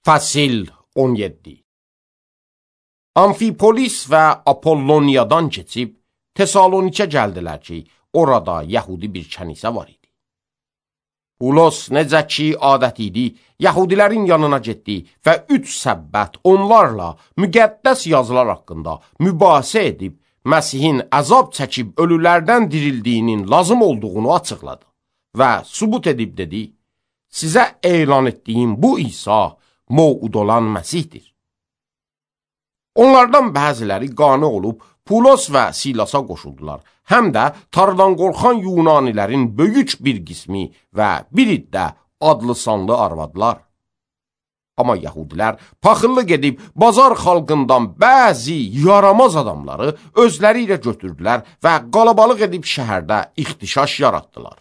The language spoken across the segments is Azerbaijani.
Fəsil 17. Amfipolis və Apolloniyadan keçib Tesalonikə gəldilər ki, orada Yəhudi bir kənisə var idi. Pulos necə ki adət idi, Yəhudilərin yanına getdi və 3 səbbət onlarla müqəddəs yazılar haqqında mübahisə edib, Məsihin əzab çəkib ölülərdən dirildiyinin lazım olduğunu açıqladı və sübut edib dedi, sizə elan etdiyim bu İsa mövud olan Məsihdir. Onlardan bəziləri qane olub Pulos və Silasa qoşuldular. Həm də Tanrıdan qorxan Yunanilərin böyük bir qismi və biri də adlı sanlı arvadlar. Amma Yəhudilər paxıllıq edib bazar xalqından bəzi yaramaz adamları özləri ilə götürdülər və qalabalıq edib şəhərdə ixtişaş yaratdılar.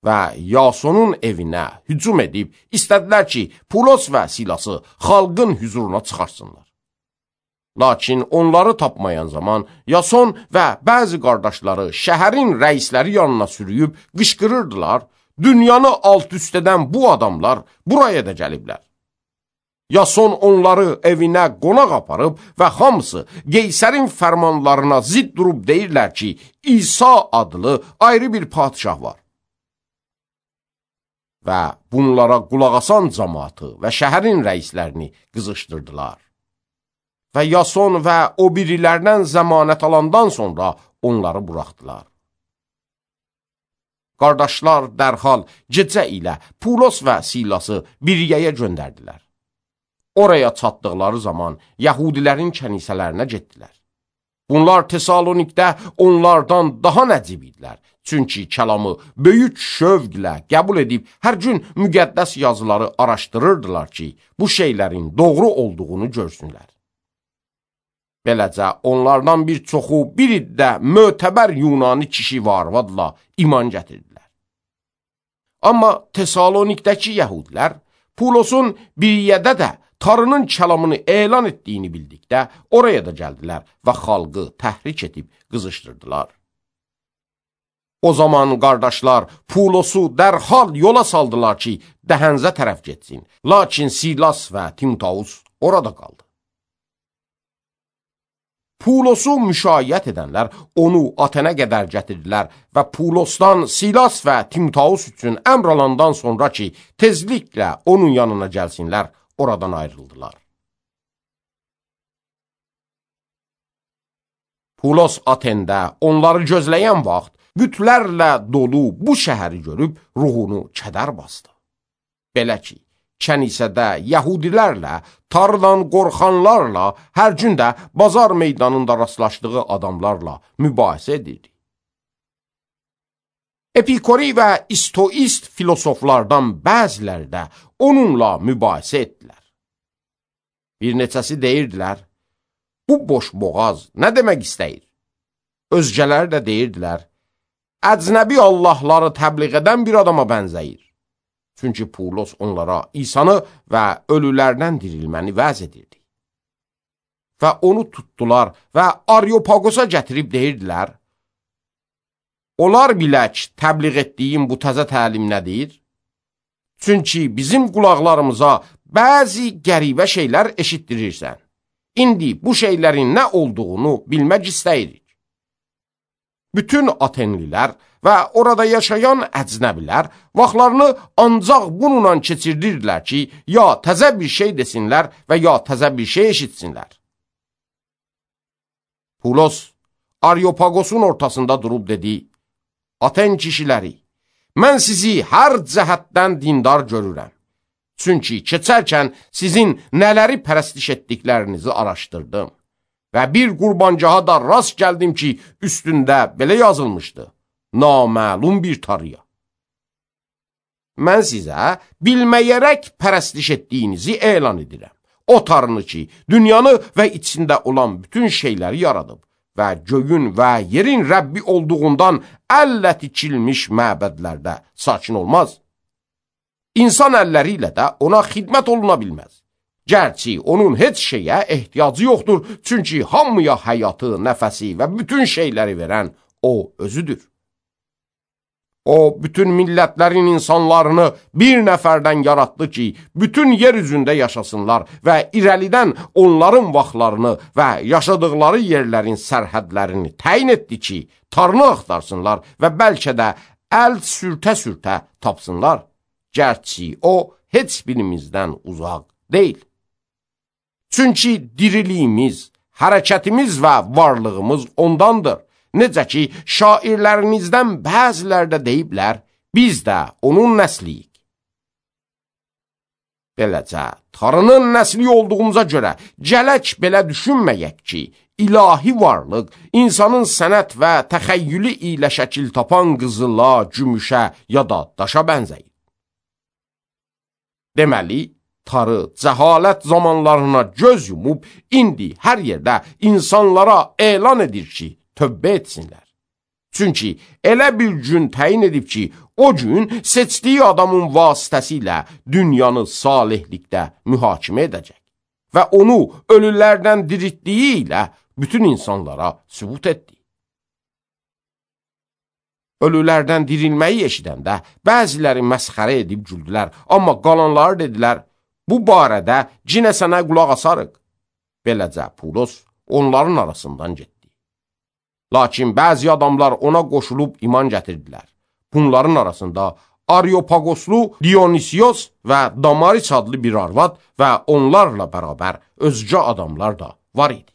Və Yasonun evinə hücum edib istədilər ki, Pulos və Silası xalqın hüzuruna çıxarsınlar. Lakin onları tapmayan zaman Yason və bəzi qardaşları şəhərin rəisləri yanına sürüyüb qışqırırdılar, dünyanı alt-üst edən bu adamlar buraya da gəliblər. Yason onları evinə qonaq aparıb və hamısı Qeysərin fərmanlarına zidd durub deyirlər ki, İsa adlı ayrı bir padişah var. Və bunlara qulaq asan cəmaatı və şəhərin rəislərini qızışdırdılar. Və Yason və o birilərdən zəmanət alandan sonra onları buraxdılar. Qardaşlar dərhal gecə ilə Pulos və Silası Biriyəyə göndərdilər. Oraya çatdıqları zaman Yəhudilərin kənisələrinə getdilər. Bunlar Tesalonikdə onlardan daha nəcib idilər. Çünki kəlamı böyük şövqlə qəbul edib hər gün müqəddəs yazıları araşdırırdılar ki, bu şeylərin doğru olduğunu görsünlər. Beləcə onlardan bir çoxu bir iddə mötəbər Yunani kişi və arvadla iman gətirdilər. Amma Tesalonikdəki Yəhudilər Pulosun Biriyədə də Tanrının kəlamını elan etdiyini bildikdə oraya da gəldilər və xalqı təhrik edib qızışdırdılar. O zaman qardaşlar Pulosu dərhal yola saldılar ki, Dəhənzə tərəf getsin. Lakin Silas və Timoteus orada qaldı. Pulosu müşayiət edənlər onu Atenə qədər gətirdilər və Pulosdan Silas və Timoteus üçün əmr alandan sonra ki, tezliklə onun yanına gəlsinlər, oradan ayrıldılar. Pulos Atendə onları gözləyən vaxt bütlərlə dolu bu şəhəri görüb ruhunu kədər bastı. Belə ki, kənisədə Yəhudilərlə, Tanrıdan qorxanlarla, hər gün də bazar meydanında rastlaşdığı adamlarla mübahisə edirdi. Epikori və İstoist filosoflardan bəziləri də onunla mübahisə etdilər. Bir neçəsi deyirdilər, bu boş boğaz nə demək istəyir? Özgələri də deyirdilər, əcnəbi Allahları təbliğ edən bir adama bənzəyir. Çünki Pulos onlara İsanı və ölülərdən dirilməni vəz edirdi. Və onu tutdular və Areopagosa gətirib deyirdilər, olar bilək təbliğ etdiyim bu təzə təlim nədir? Çünki bizim qulaqlarımıza bəzi qəribə şeylər eşitdirirsən. İndi bu şeylərin nə olduğunu bilmək istəyirik. Bütün Atenlilər və orada yaşayan əcnəbilər vaxtlarını ancaq bununla keçirdirdilər ki, ya təzə bir şey desinlər və ya təzə bir şey eşitsinlər. Pulos Areopagosun ortasında durub dedi, Aten kişiləri, mən sizi hər cəhətdən dindar görürəm. Çünki keçərkən sizin nələri pərəstiş etdiklərinizi araşdırdım. Və bir qurbancaha da rast gəldim ki, üstündə belə yazılmışdı, naməlum bir tarıya. Mən sizə bilməyərək pərəstiş etdiyinizi elan edirəm. O tarını ki, dünyanı və içində olan bütün şeyləri yaradıb və göyün və yerin Rəbbi olduğundan əllə tikilmiş məbədlərdə sakin olmaz. İnsan əlləri ilə də ona xidmət oluna bilməz. Gərçi onun heç şeyə ehtiyacı yoxdur, çünki hamıya həyatı, nəfəsi və bütün şeyləri verən o özüdür. O, bütün millətlərin insanlarını bir nəfərdən yaratdı ki, bütün yer üzündə yaşasınlar və irəlidən onların vaxtlarını və yaşadıkları yerlərin sərhədlərini təyin etdi ki, tarını axtarsınlar və bəlkə də əl sürtə-sürtə tapsınlar. Gərçi o, heç birimizdən uzaq deyil. Çünki diriliyimiz, hərəkətimiz və varlığımız ondandır. Necə ki, şairlərinizdən bəziləri də deyiblər, biz də onun nəsliyik. Beləcə, tarının nəsli olduğumuza görə gələk belə düşünməyək ki, ilahi varlıq insanın sənət və təxəyyülü ilə şəkil tapan qızıla, gümüşə ya da daşa bənzəyir. Deməli, tarı cəhalət zamanlarına göz yumub, indi hər yerdə insanlara elan edir ki, tövbə etsinlər. Çünki elə bir gün təyin edib ki, o gün seçdiyi adamın vasitəsilə dünyanı salihlikdə mühakimə edəcək və onu ölülərdən diriltdiyi ilə bütün insanlara sübut etdi. Ölülərdən dirilməyi eşidəndə bəziləri məsxərə edib güldülər, amma qalanları dedilər, bu barədə cinə sənə qulaq asarıq. Beləcə Pulos onların arasından getdi. Lakin bəzi adamlar ona qoşulub iman gətirdilər. Bunların arasında Areopagoslu Dionisios və Damaris adlı bir arvad və onlarla bərabər özgə adamlar da var idi.